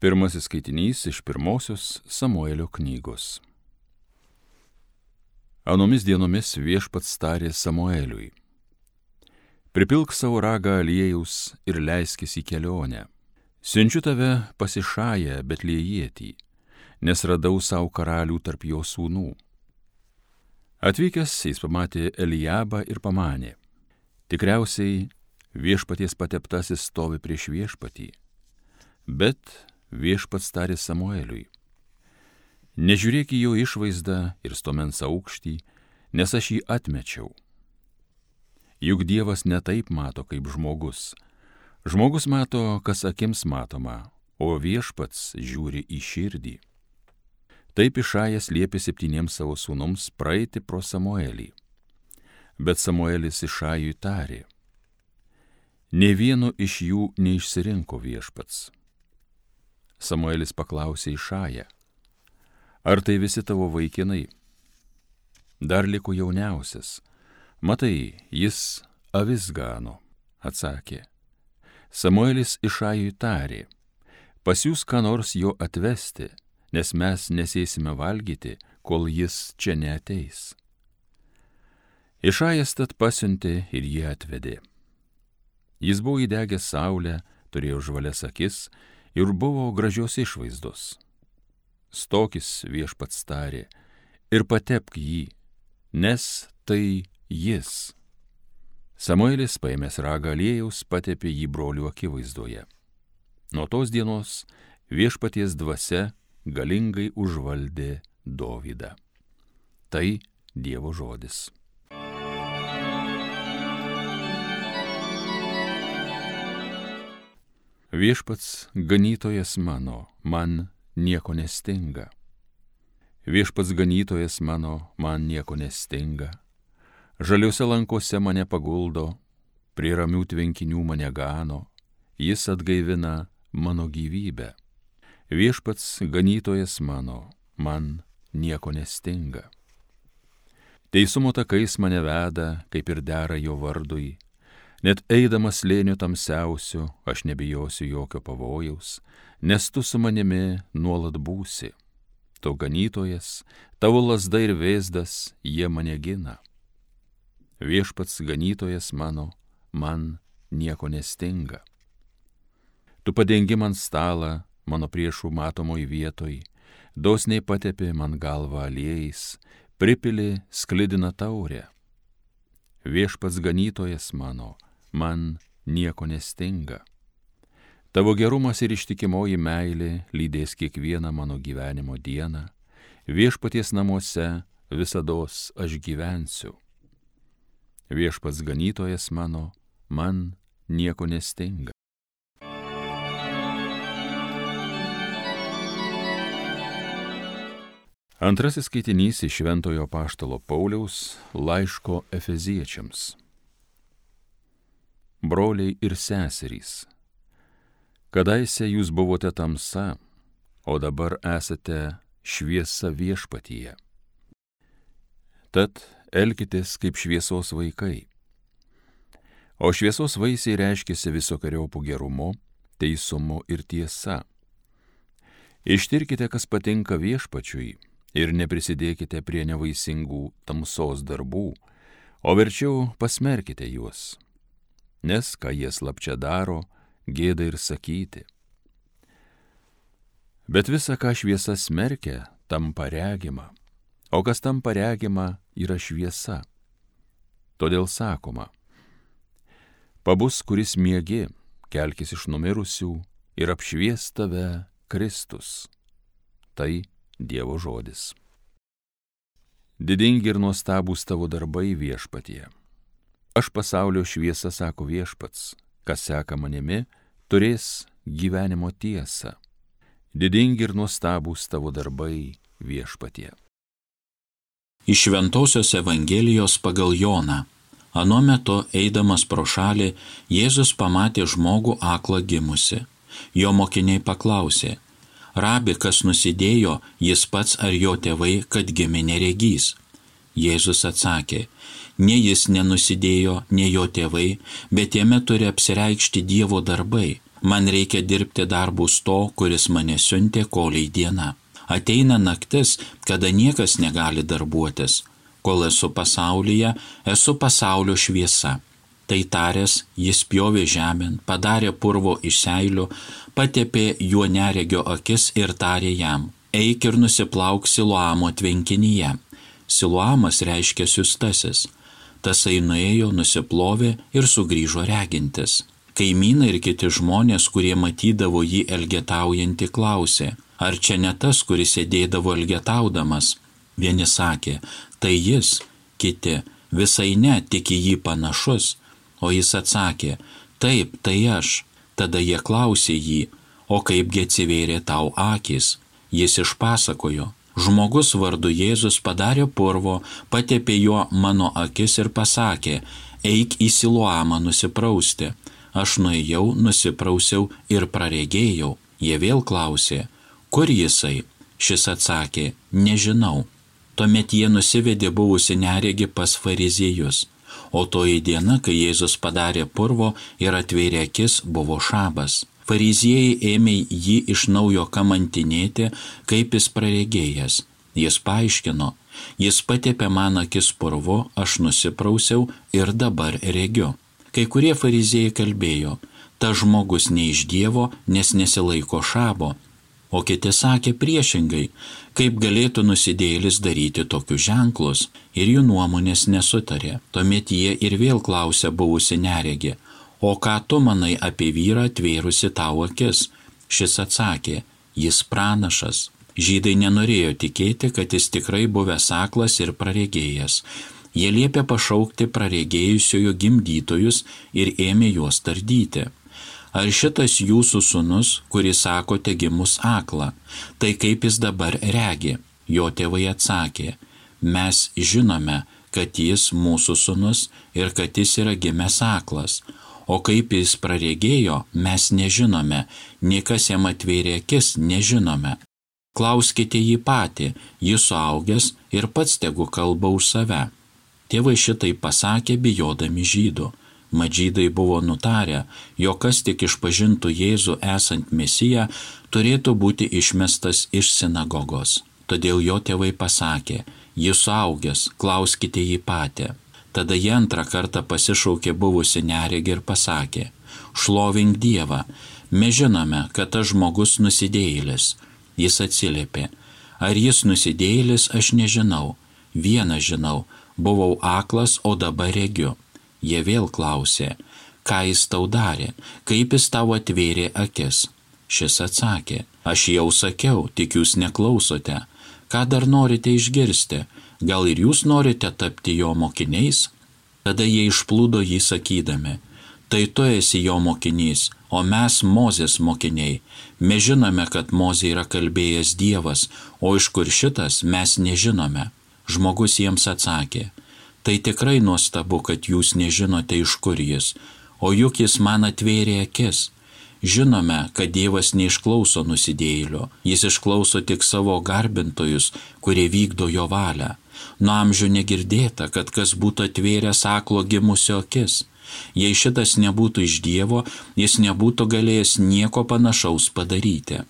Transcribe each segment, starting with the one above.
Pirmasis skaitinys iš pirmosios Samuelio knygos. Anomis dienomis Viešpats tarė Samueliui: Pripilk savo ragą aliejaus ir leiskis į kelionę. Siunčiu tave pas Išają Betlejietį, nes radau savo karalių tarp jo sūnų. Atvykęs jis pamatė Eliabą ir pamanė: tikriausiai Viešpaties pateptasis stovi prieš Viešpatį. Bet Viešpats tarė Samueliui: nežiūrėk į jo išvaizdą ir stuomens aukštį, nes aš jį atmečiau. Juk Dievas ne taip mato kaip žmogus. Žmogus mato, kas akims matoma, o Viešpats žiūri į širdį. Taip Išajas liepė 7 savo sūnums praeiti pro Samuelį. Bet Samuelis Išajui tarė: nė vieno iš jų neišsirinko Viešpats. Samuelis paklausė Išają: ar tai visi tavo vaikinai? Dar liko jauniausias. Matai, jis avis gano, atsakė. Samuelis Išajui tarė: pasiųsk ką nors jo atvesti, nes mes nesėsime valgyti, kol jis čia neateis. Išajas tad pasiuntė ir jį atvedė. Jis buvo įdegęs saulę, turėjo žvalias akis ir buvo gražios išvaizdos. Stokis, Viešpats tarė, ir patepk jį, nes tai jis. Samuelis, paėmęs ragą aliejaus, patepė jį brolių akivaizdoje. Nuo tos dienos Viešpaties dvasia galingai užvaldė Dovydą. Tai Dievo žodis. Viešpats ganytojas mano, man nieko nestinga. Viešpats ganytojas mano, man nieko nestinga. Žaliuose lankose mane paguldo, prie ramių tvenkinių mane gano, jis atgaivina mano gyvybę. Viešpats ganytojas mano, man nieko nestinga. Teisumo takais mane veda, kaip ir dera jo vardui. Net eidamas slėniu tamsiausiu, aš nebijosiu jokio pavojaus, nes tu su manimi nuolat būsi. Tu ganytojas, tavo lazda ir vėzdas, jie mane gina. Viešpats ganytojas mano, man nieko nestinga. Tu padengi man stalą, mano priešų matomoj vietoj, dosniai patepi man galvą aliejais, pripili sklidina taurę. Viešpats ganytojas mano, man nieko nestinga. Tavo gerumas ir ištikimoji meilė lydės kiekvieną mano gyvenimo dieną. Viešpaties namuose visados aš gyvensiu. Viešpats ganytojas mano, man nieko nestinga. Antrasis skaitinys iš Šventojo apaštalo Pauliaus laiško Efeziečiams. Broliai ir seserys, kadaise jūs buvote tamsa, o dabar esate šviesa Viešpatyje. Tad elkitės kaip šviesos vaikai. O šviesos vaisiai reiškiasi visokeriopu gerumu, teisumu ir tiesa. Ištirkite, kas patinka Viešpačiui, ir neprisidėkite prie nevaisingų tamsos darbų, o verčiau pasmerkite juos. Nes ką jie slapčia daro, gėda ir sakyti. Bet visa, ką šviesa smerkia, tampa regima, o kas tampa regima, yra šviesa. Todėl sakoma: pabus, kuris miegi, kelkis iš numirusių ir apšvies tave Kristus. Tai Dievo žodis. Didingi ir nuostabūs tavo darbai Viešpatie. Aš pasaulio šviesa, sako Viešpats, kas seka manimi, turės gyvenimo tiesą. Didingi ir nuostabūs tavo darbai Viešpatie. Iš Šventosios Evangelijos pagal Joną. Anuo metu, eidamas pro šalį, Jėzus pamatė žmogų aklą gimusi. Jo mokiniai paklausė: Rabi, kas nusidėjo, jis pats ar jo tėvai, kad gimė neregys? Jėzus atsakė: ne jis nenusidėjo, ne jo tėvai, bet jame turi apsireikšti Dievo darbai. Man reikia dirbti darbus to, kuris mane siuntė, kolei diena. Ateina naktis, kada niekas negali darbuotis. Kol esu pasaulyje, esu pasaulio šviesa. Tai taręs, jis pjovė žemėn, padarė purvo iš seilių, patepė juo neregio akis ir tarė jam: eik ir nusiplauk Siloamo tvenkinyje. Siloamas reiškia siųstasis. Tasai nuėjo, nusiplovė ir sugrįžo regintis. Kaimynai ir kiti žmonės, kurie matydavo jį elgetaujantį, klausė: ar čia ne tas, kuris sėdėdavo elgetaudamas? Vieni sakė: tai jis, kiti: visai ne, tik į jį panašus. O jis atsakė: taip, tai aš. Tada jie klausė jį: o kaipgi atsivėrė tau akys? Jis išpasakojo: žmogus vardu Jėzus padarė purvo, patepė juo mano akis ir pasakė: eik į Siloamą nusiprausti. Aš nuėjau, nusiprausiau ir praregėjau. Jie vėl klausė: kur jisai? Šis atsakė: nežinau. Tuomet jie nusivedė buvusi neregį pas fariziejus. O toji diena, kai Jėzus padarė purvo ir atvėrė akis, buvo šabas. Fariziejai ėmė jį iš naujo kamantinėti, kaip jis praregėjęs. Jis paaiškino: jis patepė man akis purvu, aš nusiprausiau ir dabar regiu. Kai kurie fariziejai kalbėjo: tas žmogus ne iš Dievo, nes nesilaiko šabo. O kiti sakė priešingai: kaip galėtų nusidėjėlis daryti tokius ženklus, ir jų nuomonės nesutarė. Tuomet jie ir vėl klausė buvusi neregį: o ką tu manai apie vyrą atvėrusi tau akis? Šis atsakė: jis pranašas. Žydai nenorėjo tikėti, kad jis tikrai buvęs aklas ir praregėjęs. Jie liepė pašaukti praregėjusiojo gimdytojus ir ėmė juos tardyti: ar šitas jūsų sūnus, kuris sakote gimus aklą, tai kaip jis dabar regi? Jo tėvai atsakė: mes žinome, kad jis mūsų sūnus ir kad jis yra gimęs aklas. O kaip jis praregėjo, mes nežinome, niekas jam atvėrė akis, nežinome. Klauskite jį patį, jis suaugęs ir pats tegu kalba už save. Tėvai šitai pasakė, bijodami žydų. Mat žydai buvo nutarę, jog kas tik išpažintų Jėzų esant Mesiją, turėtų būti išmestas iš sinagogos. Todėl jo tėvai pasakė: jis suaugęs, klauskite jį patį. Tada jie antrą kartą pasišaukė buvusi neregį ir pasakė: šlovink Dievą, mes žinome, kad tas žmogus nusidėjėlis. Jis atsiliepė: ar jis nusidėjėlis, aš nežinau. Vieną žinau, buvau aklas, o dabar regiu. Jie vėl klausė: ką jis tau darė, kaip jis tau atvėrė akis? Šis atsakė: aš jau sakiau, tik jūs neklausote. Ką dar norite išgirsti? Gal ir jūs norite tapti jo mokiniais? Tada jie išplūdo jį sakydami: tai tu esi jo mokinys, o mes Mozės mokiniai. Mes žinome, kad Mozė yra kalbėjęs Dievas, o iš kur šitas mes nežinome. Žmogus jiems atsakė: tai tikrai nuostabu, kad jūs nežinote, iš kur jis, o juk jis man atvėrė akis. Žinome, kad Dievas neišklauso nusidėjėlio, jis išklauso tik savo garbintojus, kurie vykdo jo valią. Nuo amžių negirdėta, kad kas būtų atvėręs aklo gimusio akis. Jei šitas nebūtų iš Dievo, jis nebūtų galėjęs nieko panašaus padaryti.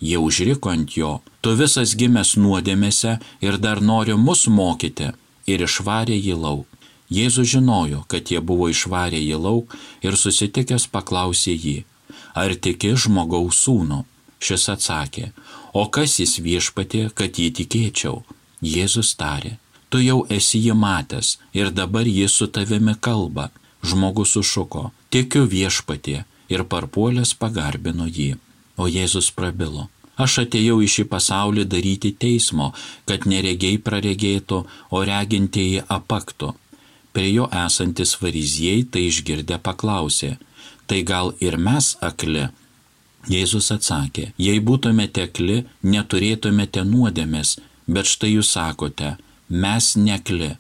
Jie užriko ant jo: tu visas gimęs nuodėmėse ir dar nori mus mokyti. Ir išvarė jį lauk. Jėzus žinojo, kad jie buvo išvarę jį lauk ir susitikęs paklausė jį: ar tiki žmogaus sūnų? Šis atsakė: o kas jis Viešpatie, kad jį tikėčiau? Jėzus tarė: tu jau esi jį matęs ir dabar jis su tavimi kalba. Žmogus sušuko: tikiu Viešpatie, ir parpuolęs pagarbino jį. O Jėzus prabilo: aš atėjau į šį pasaulį daryti teismo, kad neregiai praregėtų, o regintieji apaktų. Prie jo esantis fariziejai tai išgirdę paklausė: tai gal ir mes akli? Jėzus atsakė: jei būtumėte akli, neturėtumėte nuodėmės, bet štai jūs sakote: mes neakli,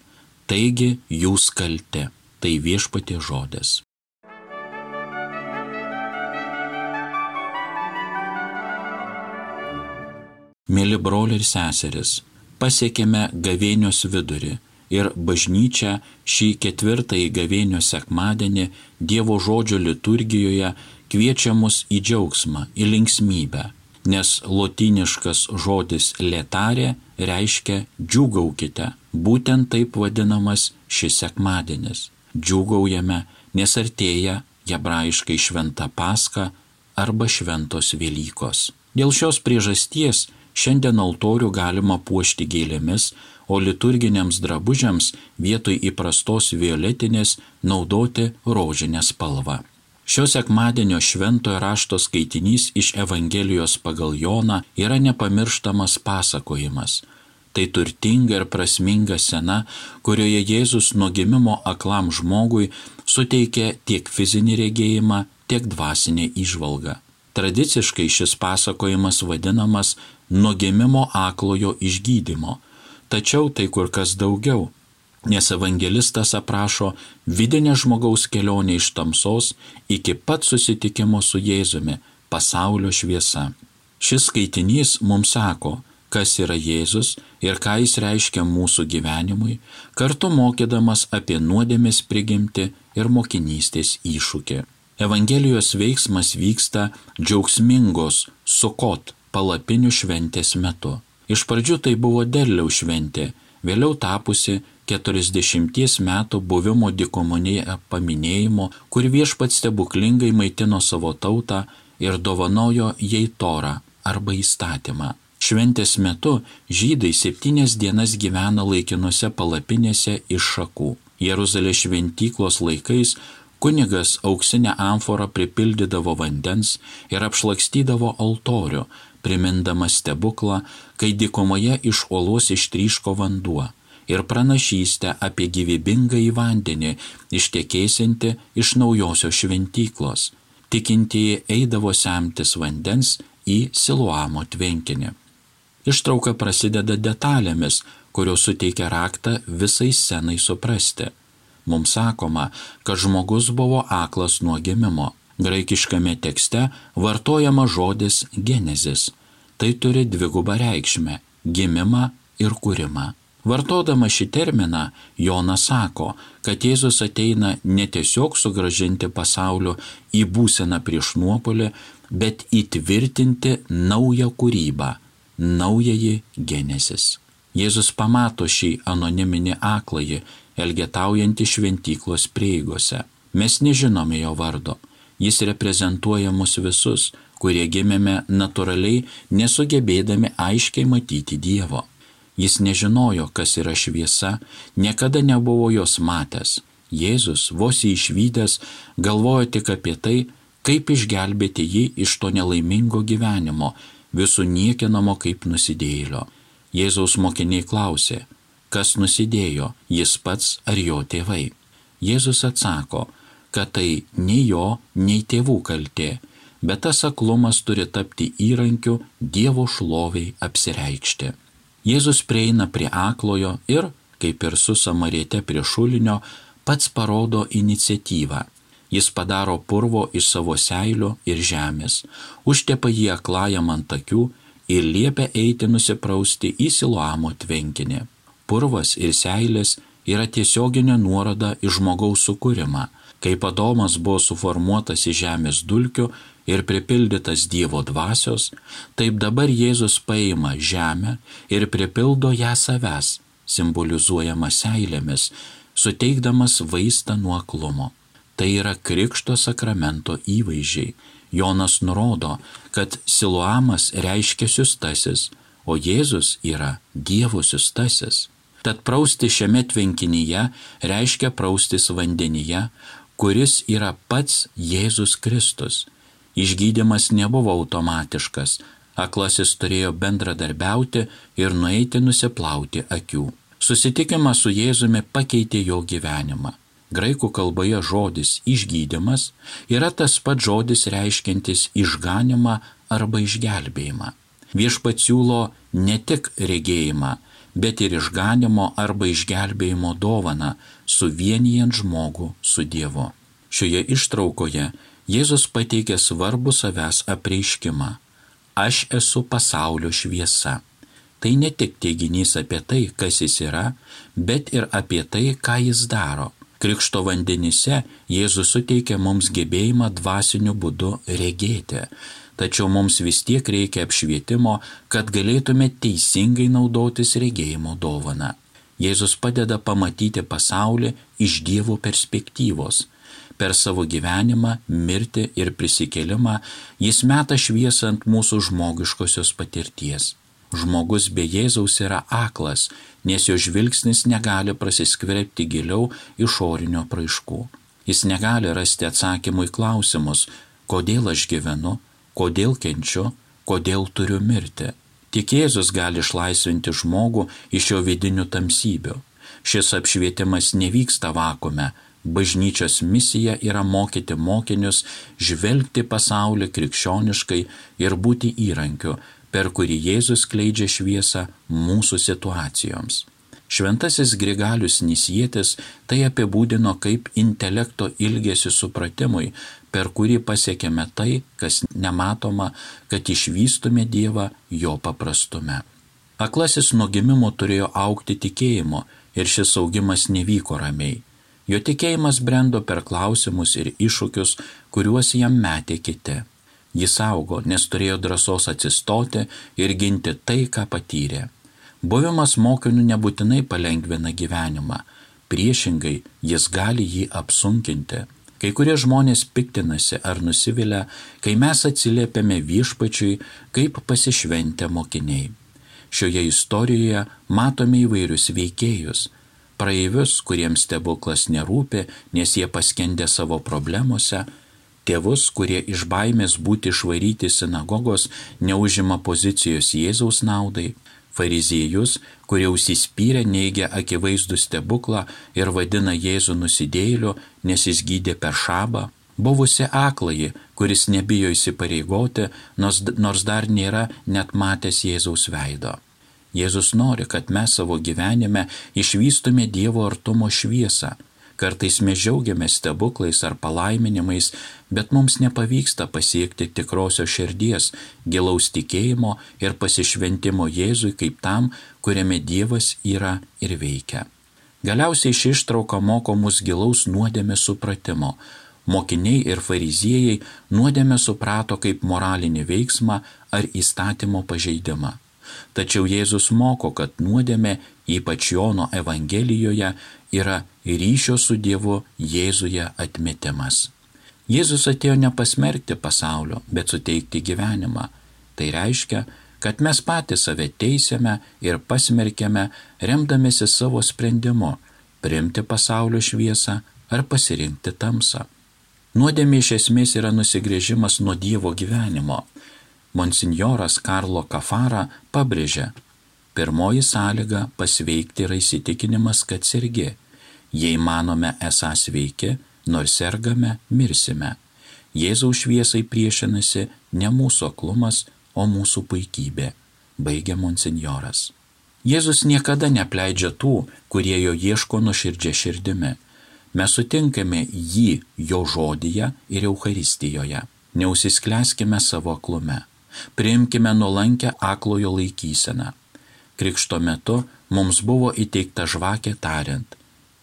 taigi jūs kalti. Tai Viešpaties žodis. Mėly broliai ir seserys, pasiekėme gavėnios vidurį ir bažnyčia šį 4. gavėnios sekmadienį Dievo žodžio liturgijoje kviečia mus į džiaugsmą, į linksmybę, nes lotyniškas žodis letare reiškia džiūgaukite. Būtent taip vadinamas šis sekmadienis. Džiūgaujame, nes artėja hebrajiškai šventa Paska arba šventos Velykos. Dėl šios priežasties šiandien altorių galima puošti gėlėmis, o liturginiams drabužiams vietoj įprastos violetinės naudoti rožinę spalvą. Šio sekmadienio šventojo rašto skaitinys iš Evangelijos pagal Joną yra nepamirštamas pasakojimas. Tai turtinga ir prasminga scena, kurioje Jėzus nuo gimimo aklam žmogui suteikė tiek fizinį regėjimą, tiek dvasinę įžvalgą. Tradiciškai šis pasakojimas vadinamas nuo gimimo aklojo išgydymo, tačiau tai kur kas daugiau, nes evangelistas aprašo vidinę žmogaus kelionę iš tamsos iki pat susitikimo su Jėzumi, pasaulio šviesa. Šis skaitinys mums sako, kas yra Jėzus ir ką jis reiškia mūsų gyvenimui, kartu mokydamas apie nuodėmės prigimtį ir mokinystės iššūkį. Evangelijos veiksmas vyksta džiaugsmingos Sukot palapinių šventės metu. Iš pradžių tai buvo derliaus šventė, vėliau tapusi 40 metų buvimo dykumoje paminėjimo, kur viešpats stebuklingai maitino savo tautą ir dovanojo jai Torą arba įstatymą. Šventės metu žydai 7 dienas gyvena laikinose palapinėse iš šakų. Jeruzalės šventyklos laikais kunigas auksinę amforą pripildydavo vandens ir apšlakstydavo altorių, primindamas stebuklą, kai dykumoje iš uolos ištryško vanduo, ir pranašystę apie gyvybingąjį vandenį ištekėsiantį iš naujosios šventyklos. Tikintieji eidavo semtis vandens į Siloamo tvenkinį. Ištrauka prasideda detalėmis, kurios suteikia raktą visai scenai suprasti. Mums sakoma, kad žmogus buvo aklas nuo gimimo. Graikiškame tekste vartojama žodis genezis. Tai turi dvigubą reikšmę – gimimą ir kūrimą. Vartodama šį terminą, Jonas sako, kad Jėzus ateina ne tiesiog sugrąžinti pasaulio į būseną prieš nuopolį, bet įtvirtinti naują kūrybą, naująjį genezis. Jėzus pamato šį anoniminį akląjį, elgetaujantį šventyklos prieigose. Mes nežinome jo vardo. Jis reprezentuoja mus visus, kurie gimėme natūraliai, nesugebėdami aiškiai matyti Dievo. Jis nežinojo, kas yra šviesa, niekada nebuvo jos matęs. Jėzus, vos jį išvydęs, galvojo tik apie tai, kaip išgelbėti jį iš to nelaimingo gyvenimo, visų niekinamo kaip nusidėjėlio. Jėzaus mokiniai klausė, kas nusidėjo, jis pats ar jo tėvai. Jėzus atsako, kad tai nei jo, nei tėvų kaltė, bet tas aklumas turi tapti įrankiu Dievo šloviai apsireikšti. Jėzus prieina prie aklojo ir, kaip ir su Samariete prie šulinio, pats parodo iniciatyvą. Jis padaro purvo iš savo seilių ir žemės, užtepa jį aklajam ant akių ir liepia eiti nusiprausti į Siloamo tvenkinį. Purvas ir seilės yra tiesioginė nuoroda į žmogaus sukūrimą. Kaip Adomas buvo suformuotas iš žemės dulkių ir pripildytas Dievo dvasios, taip dabar Jėzus paima žemę ir pripildo ją savęs, simbolizuojama seilėmis, suteikdamas vaistą nuo aklumo. Tai yra Krikšto sakramento įvaizdžiai. Jonas nurodo, kad Siloamas reiškia siųstasis, o Jėzus yra Dievo siųstasis. Tad prausti šiame tvenkinyje reiškia praustis vandenyje, kuris yra pats Jėzus Kristus. Išgydymas nebuvo automatiškas, aklasis turėjo bendradarbiauti ir nueiti nusiplauti akių. Susitikimas su Jėzumi pakeitė jo gyvenimą. Graikų kalboje žodis išgydymas yra tas pats žodis reiškiantis išganymą arba išgelbėjimą. Viešpats siūlo ne tik regėjimą, bet ir išganymo arba išgelbėjimo dovaną, suvienijant žmogų su Dievu. Šioje ištraukoje Jėzus pateikė svarbų savęs apreiškimą. Aš esu pasaulio šviesa. Tai ne tik teiginys apie tai, kas jis yra, bet ir apie tai, ką jis daro. Krikšto vandenyse Jėzus suteikia mums gebėjimą dvasiniu būdu regėti, tačiau mums vis tiek reikia apšvietimo, kad galėtume teisingai naudotis regėjimo dovana. Jėzus padeda pamatyti pasaulį iš Dievo perspektyvos. Per savo gyvenimą, mirtį ir prisikėlimą jis meta šviesą ant mūsų žmogiškosios patirties. Žmogus be Jėzaus yra aklas, nes jo žvilgsnis negali prasiskverbti giliau išorinio apraiškų. Jis negali rasti atsakymų į klausimus, kodėl aš gyvenu, kodėl kenčiu, kodėl turiu mirti. Tik Jėzus gali išlaisvinti žmogų iš jo vidinių tamsybių. Šis apšvietimas nevyksta vakuume. Bažnyčios misija yra mokyti mokinius žvelgti pasaulį krikščioniškai ir būti įrankiu, per kurį Jėzus skleidžia šviesą mūsų situacijoms. Šventasis Grigalius Nisietis tai apibūdino kaip intelekto ilgesį supratimui, per kurį pasiekėme tai, kas nematoma, kad išvystume Dievą jo paprastume. Aklasis nuo gimimo turėjo augti tikėjimu ir šis augimas nevyko ramiai. Jo tikėjimas brendo per klausimus ir iššūkius, kuriuos jam metė kiti. Jis augo, nes turėjo drąsos atsistoti ir ginti tai, ką patyrė. Buvimas mokiniu nebūtinai palengvina gyvenimą, priešingai jis gali jį apsunkinti. Kai kurie žmonės piktinasi ar nusivilia, kai mes atsiliepiame Viešpačiui kaip pasišventę mokiniai. Šioje istorijoje matome įvairius veikėjus. Praeivius, kuriems stebuklas nerūpi, nes jie paskendė savo problemose, tėvus, kurie iš baimės būti išvaryti sinagogos neužima pozicijos Jėzaus naudai, fariziejus, kurie užsispyrę neigia akivaizdų stebuklą ir vadina Jėzų nusidėjėliu, nes jis gydė per šabą, buvusi akląjį, kuris nebijo įsipareigoti, nors dar nėra net matęs Jėzaus veido. Jėzus nori, kad mes savo gyvenime išvystume Dievo artumo šviesą. Kartais mes džiaugiamės stebuklais ar palaiminimais, bet mums nepavyksta pasiekti tikrosios širdies, gilaus tikėjimo ir pasišventimo Jėzui kaip tam, kuriame Dievas yra ir veikia. Galiausiai ši ištrauka moko mus gilaus nuodėmės supratimo. Mokiniai ir fariziejai nuodėmę suprato kaip moralinį veiksmą ar įstatymo pažeidimą. Tačiau Jėzus moko, kad nuodėmė, ypač Jono Evangelijoje, yra ryšio su Dievu Jėzuje atmetimas. Jėzus atėjo ne pasmerkti pasaulio, bet suteikti gyvenimą. Tai reiškia, kad mes patys save teisiame ir pasmerkiame, remdamėsi savo sprendimu priimti pasaulio šviesą ar pasirinkti tamsą. Nuodėmė iš esmės yra nusigręžimas nuo Dievo gyvenimo. Monsinjoras Karlo Kafara pabrėžia, pirmoji sąlyga pasveikti yra įsitikinimas, kad sergi. Jei manome esą sveiki, nors sergame, mirsime. Jėzaus šviesai priešinasi ne mūsų aklumas, o mūsų puikybė, baigia monsinjoras. Jėzus niekada neapleidžia tų, kurie jo ieško nuoširdžia širdimi. Mes sutinkame jį jo žodyje ir Eucharistijoje. Neužsisklęskime savo aklume. Priimkime nuolankę aklojo laikyseną. Krikšto metu mums buvo įteikta žvakė tariant,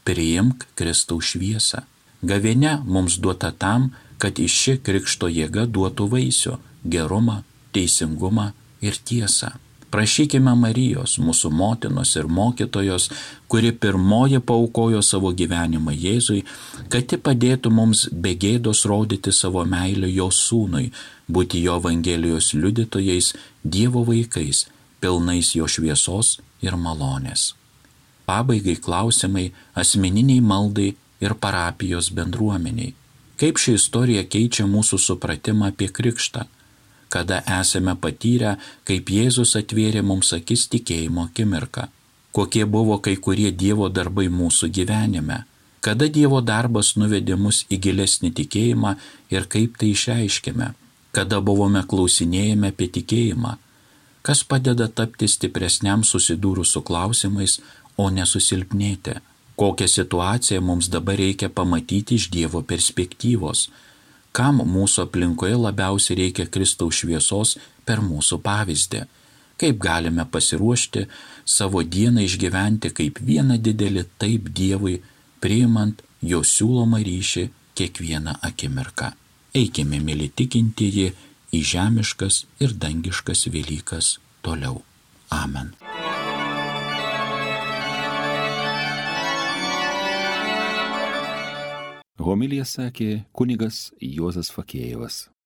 priimk Kristaus šviesą. Gavėnia mums duota tam, kad iš ši krikšto jėga duotų vaisių, gerumą, teisingumą ir tiesą. Prašykime Marijos, mūsų motinos ir mokytojos, kuri pirmoji paaukojo savo gyvenimą Jėzui, kad ji padėtų mums be gėdos rodyti savo meilę jo sūnui, būti jo Evangelijos liudytojais, Dievo vaikais, pilnais jo šviesos ir malonės. Pabaigai klausimai asmeniniai maldai ir parapijos bendruomeniai. Kaip ši istorija keičia mūsų supratimą apie krikštą? Kada esame patyrę, kaip Jėzus atvėrė mums akis tikėjimo akimirką? Kokie buvo kai kurie Dievo darbai mūsų gyvenime? Kada Dievo darbas nuvedė mus į gilesnį tikėjimą ir kaip tai išreiškėme? Kada buvome klausinėjami apie tikėjimą? Kas padeda tapti stipresniam susidūrus su klausimais, o nesusilpnėti? Kokią situaciją mums dabar reikia pamatyti iš Dievo perspektyvos? Kam mūsų aplinkoje labiausiai reikia Kristaus šviesos per mūsų pavyzdį? Kaip galime pasiruošti savo dieną išgyventi kaip vieną didelį taip Dievui, priimant jo siūlomą ryšį kiekvieną akimirką. Eikime, mėly tikintieji, į žemiškas ir dangiškas Velykas toliau. Amen. Homiliją sakė kunigas Juozas Fakėjevas.